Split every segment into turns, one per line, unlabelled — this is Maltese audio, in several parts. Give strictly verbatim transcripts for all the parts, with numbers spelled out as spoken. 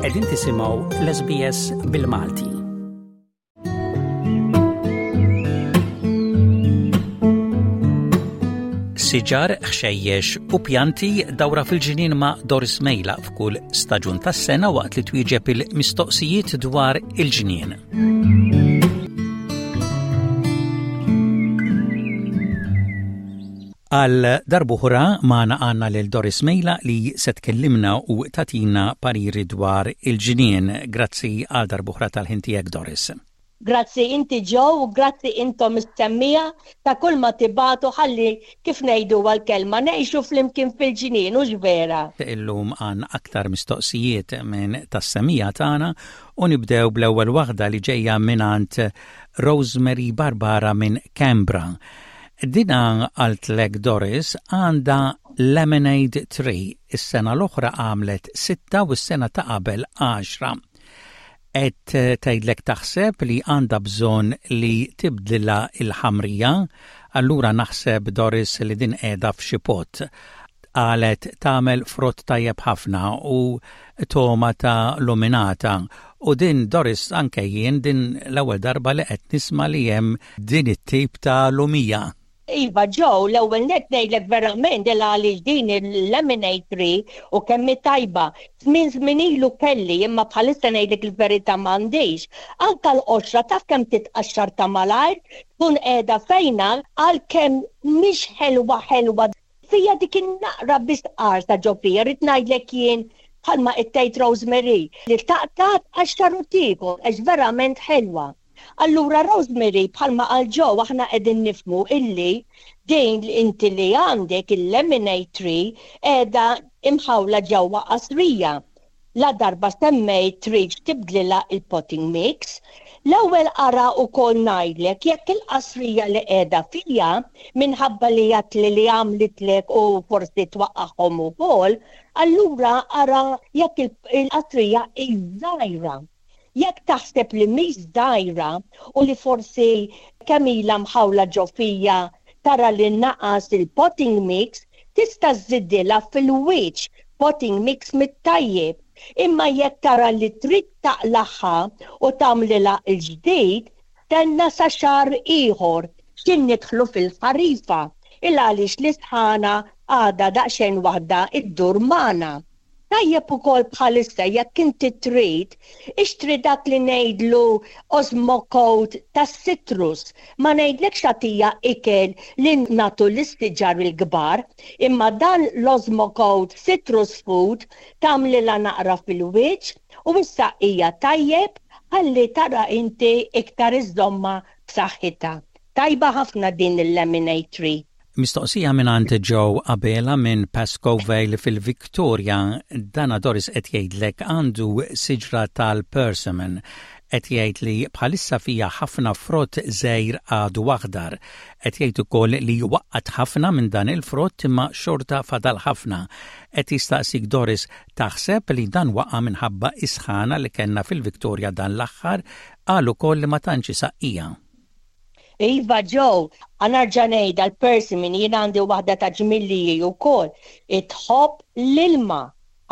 Qegħdin tisimgħu l-S B S bil-Malti. Siġar, ħxejjex u pjanti, dawra fil-ġinien ma' Doris Mejla f'kull staġun tas-sena waqt li twieġeb il-mistoqsijiet dwar il-ġnien. Għal darb'oħra magħna għandna lil Doris Mejla li se tkellimna u tagħtina pariri dwar il-ġnien. Grazzi għal darb'oħra tal-ħin tiegħek, Doris.
Grazzi inti, Joe, u grazzi intom is-semmiegħa ta' kull ma tibagħtu ħalli, kif ngħidu għal-kelma, ngħixu flimkien fil-ġnien, u vera.
Illum għandna aktar mistoqsijiet minn tas-semmiegħa tagħna u nibdew bl-ewwel waħda li ġejja mingħand Rosemary Barbara minn Canberra. Dina qaltlek, Doris, għandha lemonade tree. Is-sena l-oħra għamlet sitta u s-sena ta' qabel għaxra. Qed tgħidlek taħseb li għandha bżonn li tibdilha il-ħamrija, allura naħseb, Doris, li din qiegħda f'xi pot. Qalet tagħmel frott tajjeb ħafna u togħma ta' luminata. U din, Doris, anke jien din l-ewwel darba li qed nisma' li hemm din it-tip ta' lumija.
Iva, Joe, l-ewwel net ngħidlek verament il għaliex din il-lemonade tree u kemm tajba. Żmien żmien ilu kelli, imma bħalissa ngħidlek il-verità m'għandix. Anka l-qoxra taf kemm titqaxxar ta' malajr, tkun qiegħda fejna, għalkemm mhix ħelwa ħelwa. Fija dik in-naqra biss qarsa ġo fija, rrid ngħidlek jien bħalma tgħid Rosemary li taqta' tqaxxar u tiekol għax verament ħelwa. Allura Rosemary, bħalma qal Joe, aħna qegħdin nifhmu illi din li inti li għandek il-lemonade tree qiegħda imħawla ġewwa qasrija. La darba semmejt trid tibdlilha il-potting mix. L-ewwel ara ukoll ngħidlek jekk il-qasrija li qiegħda fija, minħabba li għedtli li għamlitlek u forsi twaqqagħhom ukoll, allura ara jekk il-qasrija żgħira. Jekk taħseb li mhix żgħira u li forsi kemm ilha mħawla ġo fija tara li naqas il-potting mix, tista' żżidilha fil-wiċċ potting mix mit-tajjeb. Imma jekk tara li trid taqlagħha u tagħmlilha il-ġdid, stenna sa xahar ieħor xin nidħlu fil-ħarifa, il għaliex l-isħana għadha daqsxejn waħda iddur magħna. Tajjeb ukoll bħalissa jekk inti trid, ixtri dak li ngħidlu Osmocote tas-citrus. Ma ngħidlekx tagħtiha ikel li nagħtu lis-siġar il-kbar, imma dan l-Osmocote citrus food tagħmlilha naqra fil-wiċċ u issa hija tajjeb ħalli tara inti iktar iżomma b'saħħitha. Tajba ħafna din il-lemonade tree.
Mistoqsija minn Joe Abela minn Pascoe Vale fil-Victoria. Dana, Doris, qed jgħidlek għandu siġra tal-persimmon. Qed jgħid li bħalissa fija ħafna frott żgħir għadu aħdar. Qed jgħid ukoll li waqqat ħafna minn dan il-frott imma xorta fadal ħafna. Qed jistaqsik, Doris, taħseb li dan waqa' minħabba is-sħana li kellna fil-Victoria dan l-aħħar? Qal ukoll li ma tantx saqqija.
Iva, Joe, ħa nerġa' ngħidha, l-persimmon, jien għandi waħda ta' ġmilliji wkoll, tħobb l-ilma.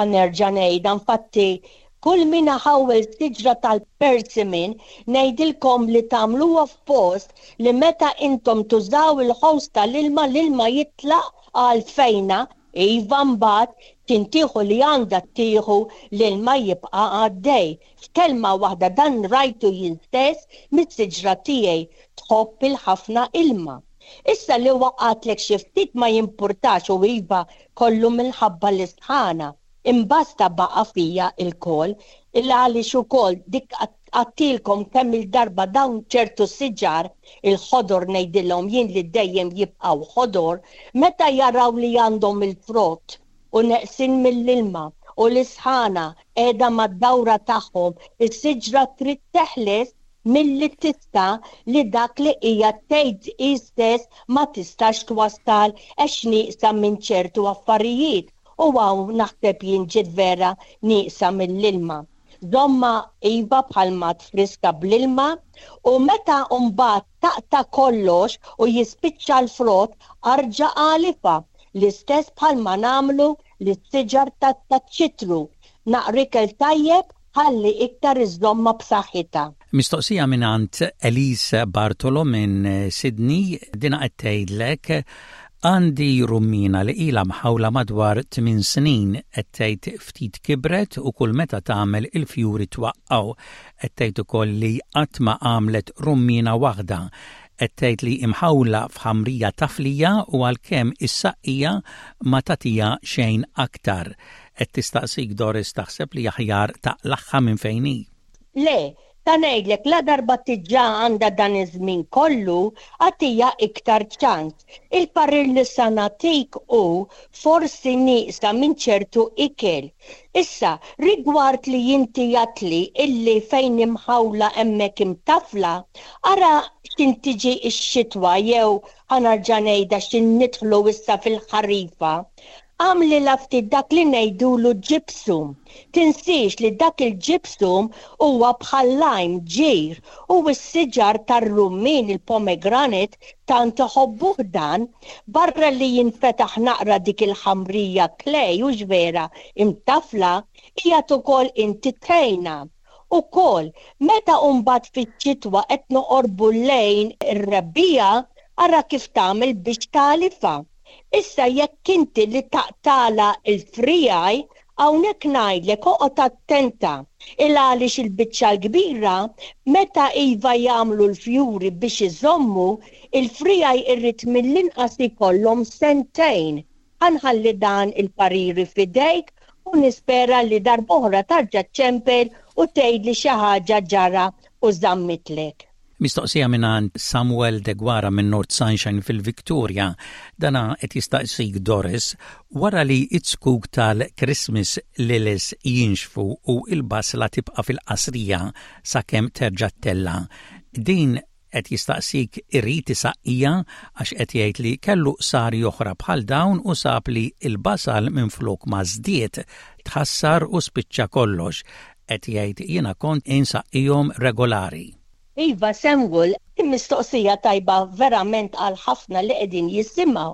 Ħa nerġa' ngħidha, infatti kull min ħawel siġra tal-persimmon ngħidilkom li tagħmluha f'post li meta intom tużaw il-hose tal-ilma, l-ilma jitlaq għal fejna. Iva, mbagħad tintieħu li għandha tieħu, l-ilma jibqa' għaddej. F'kelma waħda, dan rajtu jien stess mis-siġra tiegħi, tħobb il-ħafna ilma. Issa li waqatlek xi ftit ma jimpurtax u iva kollu minħabba l-isħana. Imbasta baqa fija il-kol, il għaliex ukoll dik għedtilkom kemm il-darba dawn ċertu siġar il-ħodor, ngħidilhom jien, li dejjem jibqgħu ħodor, meta jaraw li għandhom il-frott u neqsin mill-ilma u l-isħana qiegħda mad-dawra tagħhom, is-siġra trid teħles milli tista' li dak li hija tgħid hi stess ma tistax twassal għax nieqsa minn ċertu affarijiet, u hawn naħseb jien ġiet vera nieqsa mill-ilma. Żommha iva bħalma friska bl-ilma u meta mbagħad taqta' kollox u jispiċċa l-frott, arġa' għalifha l-istess bħalma nagħmlu lis-siġar tat-ċitru. Naqra ikel tajjeb Ħalli iktar iżżommha b'saħħitha.
Mistoqsija mingħand Elise Bartolo minn Sydney, dina qed tgħidlek: għandi rummina li ilha mħawla madwar tmien snin. Qed tgħid ftit kibret u kull meta tagħmel il-fjuri twaqqgħu. Qed tgħid ukoll li qatt ma għamlet rummina waħda. Qed tgħid li imħawla f'ħamrija taflija u għalkemm issaqqija ma tagħtiha xejn aktar. Qed tistaqsik, Doris, taħseb li aħjar taqlagħha minn fejn hi?
Le, ta' ngħidlek, la darba diġà għandha dan iż-żmien kollu, agħtiha iktar ċans. Il-parir li sa nagħtik hu forsi nieqsa minn ċertu ikel. Issa, rigward li inti għedtli illi fejn imħawla hemmhekk imtafla, ara x'ħin tiġi x-xitwa jew ħa nerġa' ngħidha x'ħin nidħlu issa fil-ħarifa. Agħmlilha ftit dak li ngħidulu gypsum. Tinsiex li dak il-gypsum huwa bħal lime, ġir, u s-siġar tar-rummin, il-pomegranate, tant iħobbuh dan, barra li jinfetaħ naqra dik il-ħamrija clay u vera imtafla hija ukoll inti tgħinha. Ukoll, meta mbagħad fiċ-xitwa qed noqorbu lejn ir-rebbiegħa, ara kif tagħmel biex tagħlifha. Issa jekk inti li taqtagħlha il-friegħi, hawnhekk ngħidlek oqgħod attenta. Il għaliex il-biċċa l-kbira meta iva jagħmlu l-fjuri biex iżommu il-friegħi irrid mill-inqas ikollhom sentejn. Ħa nħalli dan il-pariri f'idejk u nispera li darb'oħra terġa' ċċempel u tgħidli xi ħaġa ġara u żammitlek.
Mistoqsija mingħand Samuel Deguara minn North Sunshine fil-Victoria. Dana qed jistaqsik, Doris, wara li it-zkuk tal-Christmas lilies jinxfu u il-basla tibqa' fil-qasrija sakemm terġa' ttella'. Din qed jistaqsik irid isaqqija għax qed jgħid li kellu qsari oħra bħal dawn u sab li il-basal minn flok ma żdied tħassar u spiċċa kollox. Qed jgħid jiena kont insaqqihom regolari.
Iva Samuel, mistoqsija tajba verament għal ħafna li qegħdin jisimgħu.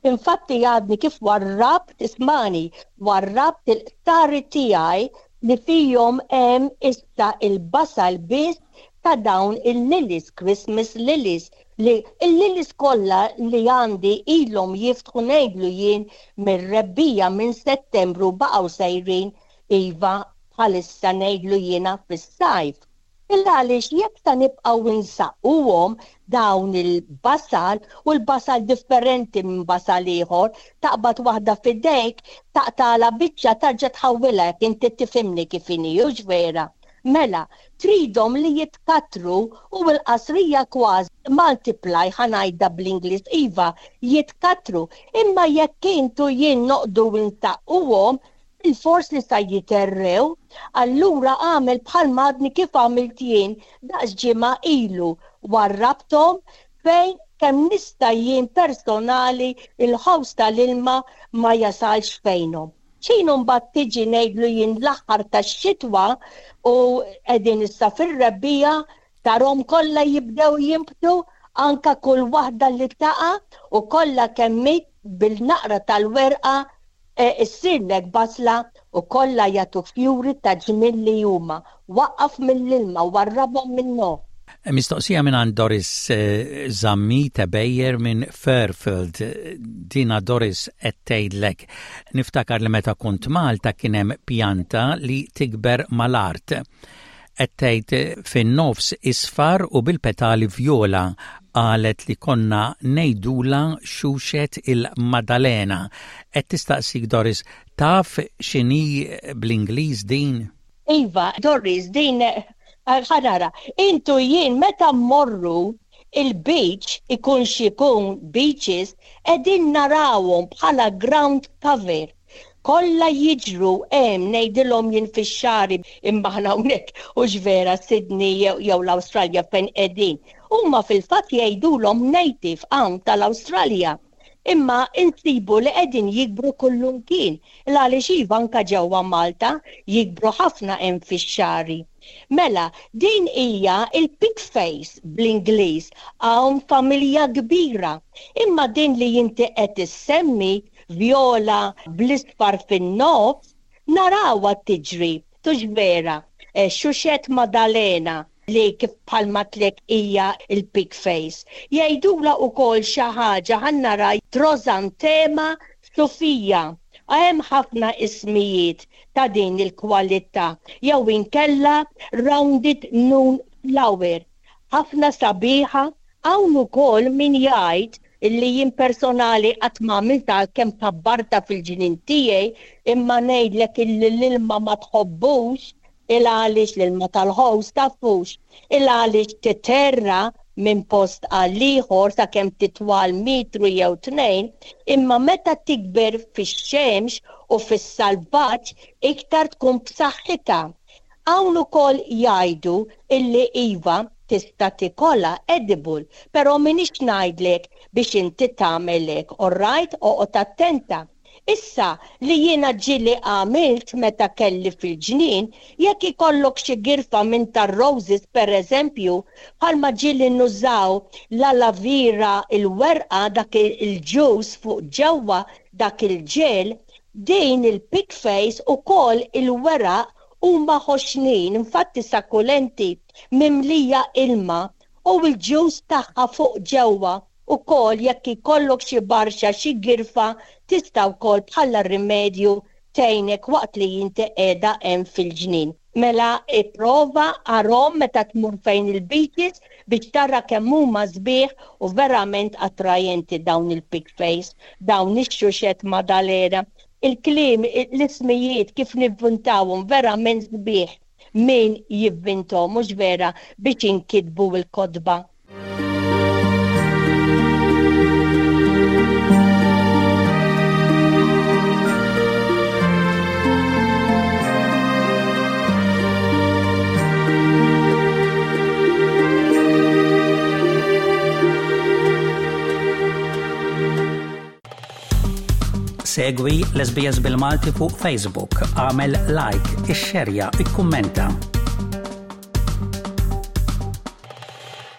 Infatti għadni kif warrabt, ismagħni, warrabt il-qtari tiegħi li fihom hemm issa il-basal biss ta' dawn il-lilies, Christmas lilies, li il-lilies kollha li għandi ilhom jiftħu, ngħidlu jien, mir-rebbiegħa, minn Settembru baqgħu sejrin iva bħalissa, ngħidlu jiena, fis-sajf. Illa għaliex jekk ta' nibqgħu insaqquhom dawn il-basal, u l-basal differenti minn basal ieħor, taqbad waħda f'idejk, taqtagħlha biċċa, terġa' tħawwilha, inti tifhimni kif inhi, hux vera? Mela, tridhom li jitkatru u l-qasrija kważi multiply, ħa ngħidha bl-Ingliż, iva, jitkatru. Imma jekk intu jien noqogħdu insaqquhom, il-fors li sa jiterrew, allura għamel bħal madni kif għamilt jien daqs ġimgħa ilu, warrabthom fejn kemm nista' jien personali il-ħoss tal-ilma ma jasalx fejnhom. X'ħin mbagħad tiġi, ngħidlu jien, l-aħħar tax-xitwa u qegħdin issa fir-rebbiegħa, tarahom kollha jibdew jinbtu, anka kull waħda li taqa' u kollha kemm bil-naqra tal-werqa E, issirlek basla u kollha jagħtu fjuri ta' ġmiel li huma. Waqqaf mill-ilma, warrabhom minnu.
Mistoqsija minn Doris eh, Zammit Bejer minn Fairfield. Dina Doris qed tgħidlek: niftakar li meta kont Malta kien hemm pjanta li tikber mal-art. Qed tgħid fin-nofs isfar u bil-petali vjola, qalet li konna ngħidulha xuxet il-Madalena. Qed tistaqsik, Doris, taf x'inhi bl-Ingliż din?
Iva, Doris, din ħa nara, intu jien meta mmorru il-beach, ikun xikun beaches, qegħdin narawhom bħala ground cover. Kollha jiġru hemm, ngħidilhom jien, fix-xagħri, imma aħna hawnhekk, hux vera, Sydney jew l-Awstralja fejn qegħdin. Huma fil-fatt jgħidulhom native hawn tal-Awstralja. Imma insibu li qegħdin jikbru kullumkien. Għaliex iva, anka ġewwa Malta jikbru ħafna hemm fix-xagħri. Mela, din hija il-pig face bl-Ingliż, hawn familja kbira. Imma din li inti qed issemmi viola bl-isfar fin-nofs, narawha tiġri, hux vera? eh, xuxet Madalena li kif bħalma għedtlek hija il-pig face. Jgħidula wkoll xi ħaġa, ħa nara, Drosantema Sofia. Hemm ħafna ismijiet ta' din il-kwalità jew inkella rounded noon flower. Ħafna sabiħa. Hawn ukoll min jgħid illi jien personali qatt ma għamilta kemm kabbarta fil-ġnien tiegħi, imma ngħidlek illi l-ilma ma tħobbux, il għaliex l-ilma tal-hose tafux, il għaliex titerra minn post għal ieħor sakemm titwal metru jew tnejn, imma meta tikber fix-xemx u fis-salvaġġ iktar tkun b'saħħitha. Hawn ukoll jgħidu illi iva, tista' tikolha, edible, però minix ngħidlek biex inti tagħmel hekk, alright, oqgħod attenta. Issa li jiena ġieli għamilt meta kelli fil-ġnien, jekk ikollok xi girfa minn tar-roses per eżempju, bħalma ġieli nużaw l-aloe vera, il-werqa, dak il-juice fuq ġewwa, dak il-ġel, din il-pig face ukoll il-weraq huma ħoxnin, infatti succulenti, mimlija ilma, u l-juice tagħha fuq ġewwa ukoll, jekk ikollok xi barxa, xi girfa, tista' wkoll bħala rimedju tgħinek waqt li inti qiegħda hemm fil-ġnien. Mela ipprova arahom meta tmur fejn il-beaches biex tara kemm huma sbieħ u verament attrajenti dawn il-pig face, dawn ix-xuxet Madalena. Il-kliem, l-ismijiet kif nivvintawhom, verament sbieħ min jivvintom, mhux vera, biex inkitbu l-kotba.
Segwi l-S B S bil-Malti fuq Facebook, għamel like, ixxerja, ikkummenta.